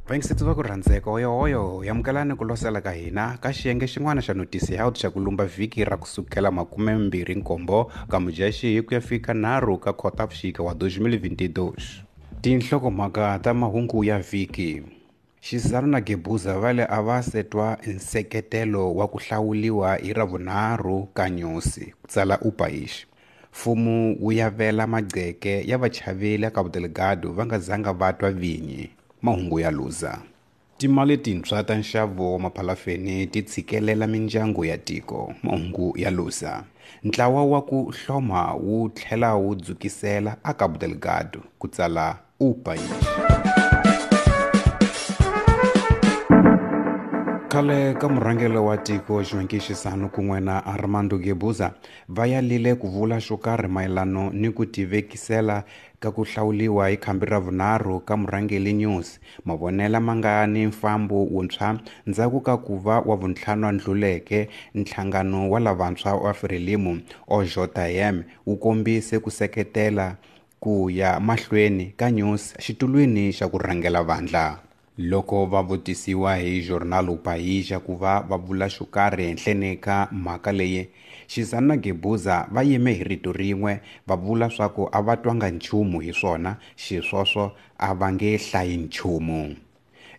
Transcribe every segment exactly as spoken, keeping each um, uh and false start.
Vayingiseti va ku rhandzeka hoyohoyo yamukelani ku losela ka hina ka xiyenge xin'wana xa Notisi Health xa ku lumba vhiki ra kusukela makumembirhi nkombo ka Mudyaxihi ku ya fika nharhu ka Khotavuxika wa twenty twenty-two. Tinhlokomhaka ta mahungu ya vhiki. Chissano na Guebuza va le a va se twa nseketelo wa ku hlawuliwa hi Ravunharhu ka Nyusi, ku tsala O País. Mfumo wu yavela magqeke ya vachaveli a Cabo Delgado va nga zanga va twa vinyi. Mahungu ya Luza. Timali tintshwa ta nxavo wa maphalafeni ti tshikelela mindyangu ya tiko. Mahungu ya Luza. Ntlawa wa ku hloma wu tlhela wu dzukisela a Cabo Delgado, ku tsala O País. Khale ka murhangeri wa tiko Joaquim Chissano kun'we na Armando Guebuza va yalile ku vula xo karhi mayelano ni ku tivekisela ka ku hlawuliwa hi khambi ra vunharhu ka murhangeri Nyusi, mavonelo ma nga ni mfambo wuntshwa ndzhaku ka ku va wa vuntlhanu a ndluleke nhlangano wa lavantshwa wa Frelimo O J M wu kombise ku seketela ku ya mahlweni ka Nyusi xitulwini xa ku rhangela vandla. Loko va vutisiwa hi Jornal O País ku va va vula xo karhi henhleni ka mhaka leyi, Chissano na Guebuza va yime hi rito rin'we va vula swa ku a va twanga nchumu hi swona, xisweswo a va nge hlayi nchumu.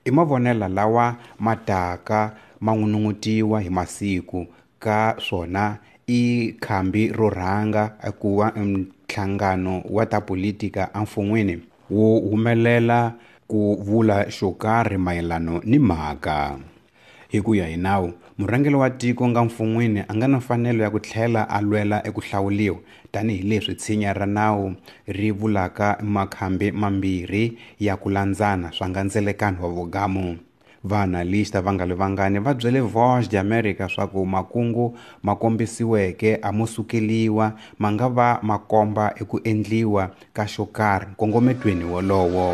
I mavonelo lawa ma taka ma n'unun'utiwa hi masiku ka swona i khambi ro rhanga ku va nhlangano wa ta politika emfun'wini wu humelela ku vula xo karhi mayelano ni mhaka. Hi ku ya hi nawu, murhangeri wa tiko nga mfun'wini a nga na mfanelo ya ku tlhela a lwela eku hlawuliwa tanihileswi tshinya ra nawu ri vulaka makhambi mambirhi ya ku landzana swa nga ndzelekano wa vugamu. Vaanalista va nga li vangani va byele Voz de América swa ku makungu ma kombisiweke a mo sukeliwa ma nga va ma komba eku endliwa ka xo karhi nkongometweni wolowo.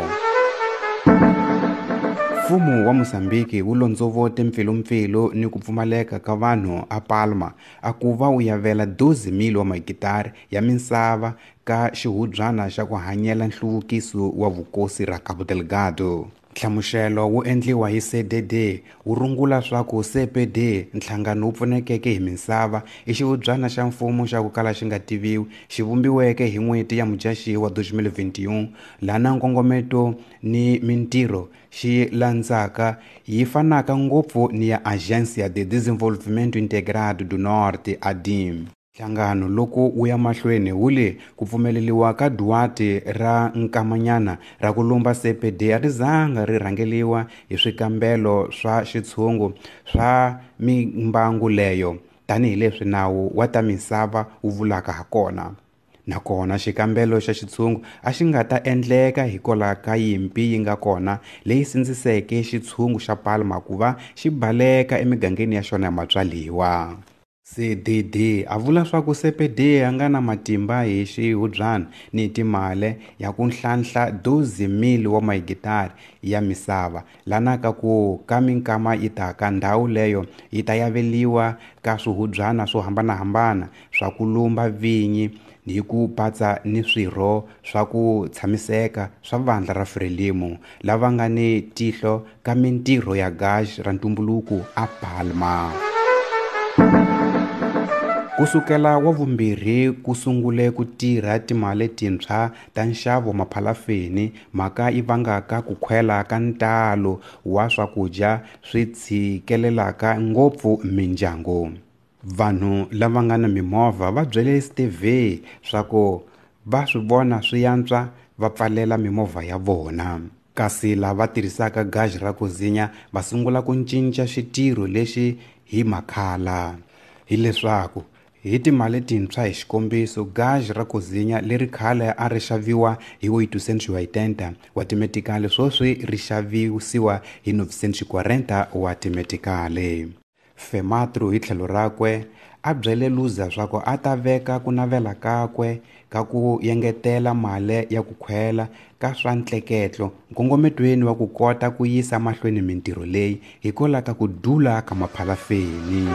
Mfumo wa Mozambique wu londzovote mpfilumpfilu ni ku pfumaleka ka vanhu a Palma a ku va wu yavela dozen mil wa mahekitara ya misava ka xihubyana xa ku hanyela nhluvukiso wa vukosi ra Cabo Delgado. Nhlamuselo wu endliwa hi C D D wu rungula swa ku C P D nhlangano wu pfunekeke hi misava i xihubyana xa mfumo xa ku kala xi nga tiviwi xi vumbiweke hi n'hweti ya Mudyaxihi wa twenty twenty-one lana nkongometo ni mintirho xi landzaka yi fanaka ngopfu ni ya Agência de Desenvolvimento Integrado do Norte A D I M. Nhlangano loko wu ya mahlweni wu le ku pfumeleliwa ka Duarte ra nkamanyana ra ku lumba C P D a ri zanga ri rhangeliwa hi swikambelo swa xitshungu swa mimbangu leyo tanihileswi nawu wa ta misava wu vulaka hakona. Nakona xikambelo xa xitshungu a xi nga ta endleka hikwalaho ka yimpi yi nga kona leyi sindziseke xitshungu xa Palma ku va xi baleka emigangeni ya xona ya matswaliwa. C D D a vula swa ku C P D a nga na matimba hi xihubyana ni timali ya ku nhlanhla dozen mil wa mahekitara ya misava lana ka ku ka minkama yi taka ndhawu leyo yi ta yaveliwa ka swihubyana swo hambanahambana swa ku lumba vinyi hi ku patsa ni swirho swa ku tshamiseka swa vandla ra Frelimo lava nga ni tihlo ka mintirho ya gasi ra ntumbuluko a Palma. Kusukela wa vumbirhi ku sungule ku tirha timali tintshwa ta nxavo maphalafeni mhaka yi vangaka ku khwela ka ntalo wa swakudya swi tshikelelaka ngopfu mindyangu. Vanhu lava nga na mimovha va byele S T V swa ku va swi vona swi yantswa va pfalela mimovha ya vona. Kasi lava tirhisaka gasi ra ku zinya va sungula ku cinca xitirho lexi hi makhala. Hileswaku hi timali tintshwa hi xikombiso gasi ra ku zinya leri khale a ri xaviwa hi oitocentos e oitenta wa timetikali sweswi ri xavisiwa hi novecentos e quarenta wa timetikali. Fematro hi tlhelo rakwe a byele Luza swa ku a ta veka ku navela kakwe ka ku yengetela mali ya ku khwela ka swa ntleketlo nkongometweni wa ku kota ku yisa mahlweni mintirho leyi hikwalaho ka ku dula ka maphalafeni.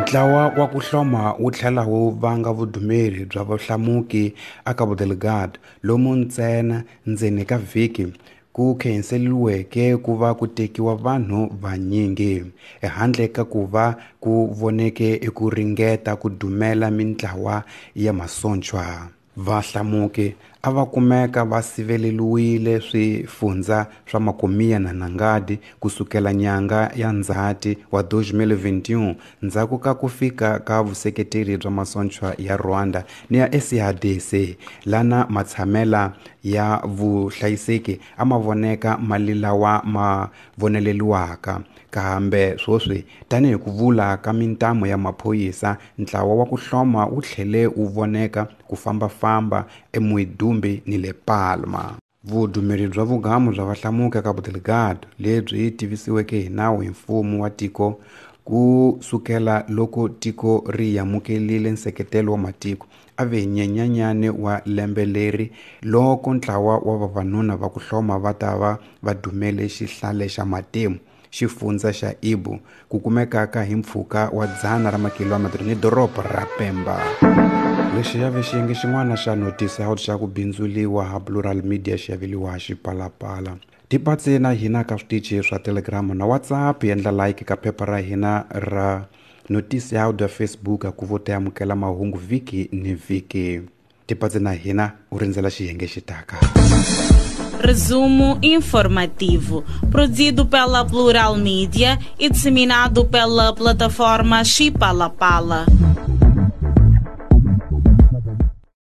Ntlawa wa ku hloma wu tlhela wu vanga vudumeri bya vahlamuki a Cabo Delgado lomu ntsena ndzeni ka vhiki ku khenseliweke ku va ku tekiwa vanhu vanyingi ehandle ka ku va ku voneke eku ringeta ku dumela mintlawa ya masochwa. Vahlamuki a va kumeka va siveleliwile swifundza swa Macomia na Nangadi kusukela nyanga ya Ndzhati wa twenty twenty-one ndzhaku ka ku fika ka vuseketeri bya masochwa ya Rwanda ni ya S A D C lana matshamela ya vuhlayiseki a ma voneka mali lawa ma voneleliwaka. Kambe swoswi tanihi ku vula ka mintamu ya maphorisa ntlawa wa ku hloma wu tlhele wu voneka ku fambafamba eMuidumbe ni le Palma. Vudumeri bya vugamu bya vahlamuki Cabo Delgado lebyi tivisiweke hi nawu hi mfumo wa tiko ku sukela loko tiko ri amukelile nseketelo wa matiko a ve Nyenyanyane wa lembe leri loko ntlawa wa vavanuna va ku hloma va ta va va dumele xihlale xa Matemo xifundza xa Ibu ku kumekaka hi mpfhuka wa dzana ra makilometro ni doroba ra Pemba. Lexi ya ve xiyenge xin'wana xa Notice Out xa ku bindzuliwa ha Plural Media xi aveliwa Xipalapala. Tipatse na hina ka switichi swa Telegram na WhatsApp, endla like ka phepha ra hina ra Notice Out ya Facebook ku vo ta amukela mahungu vhiki ni vhiki. Tipatse na hina u rindzela xiyenge xi taka. Resumo informativo, produzido pela Plural Mídia e disseminado pela plataforma Xipalapala.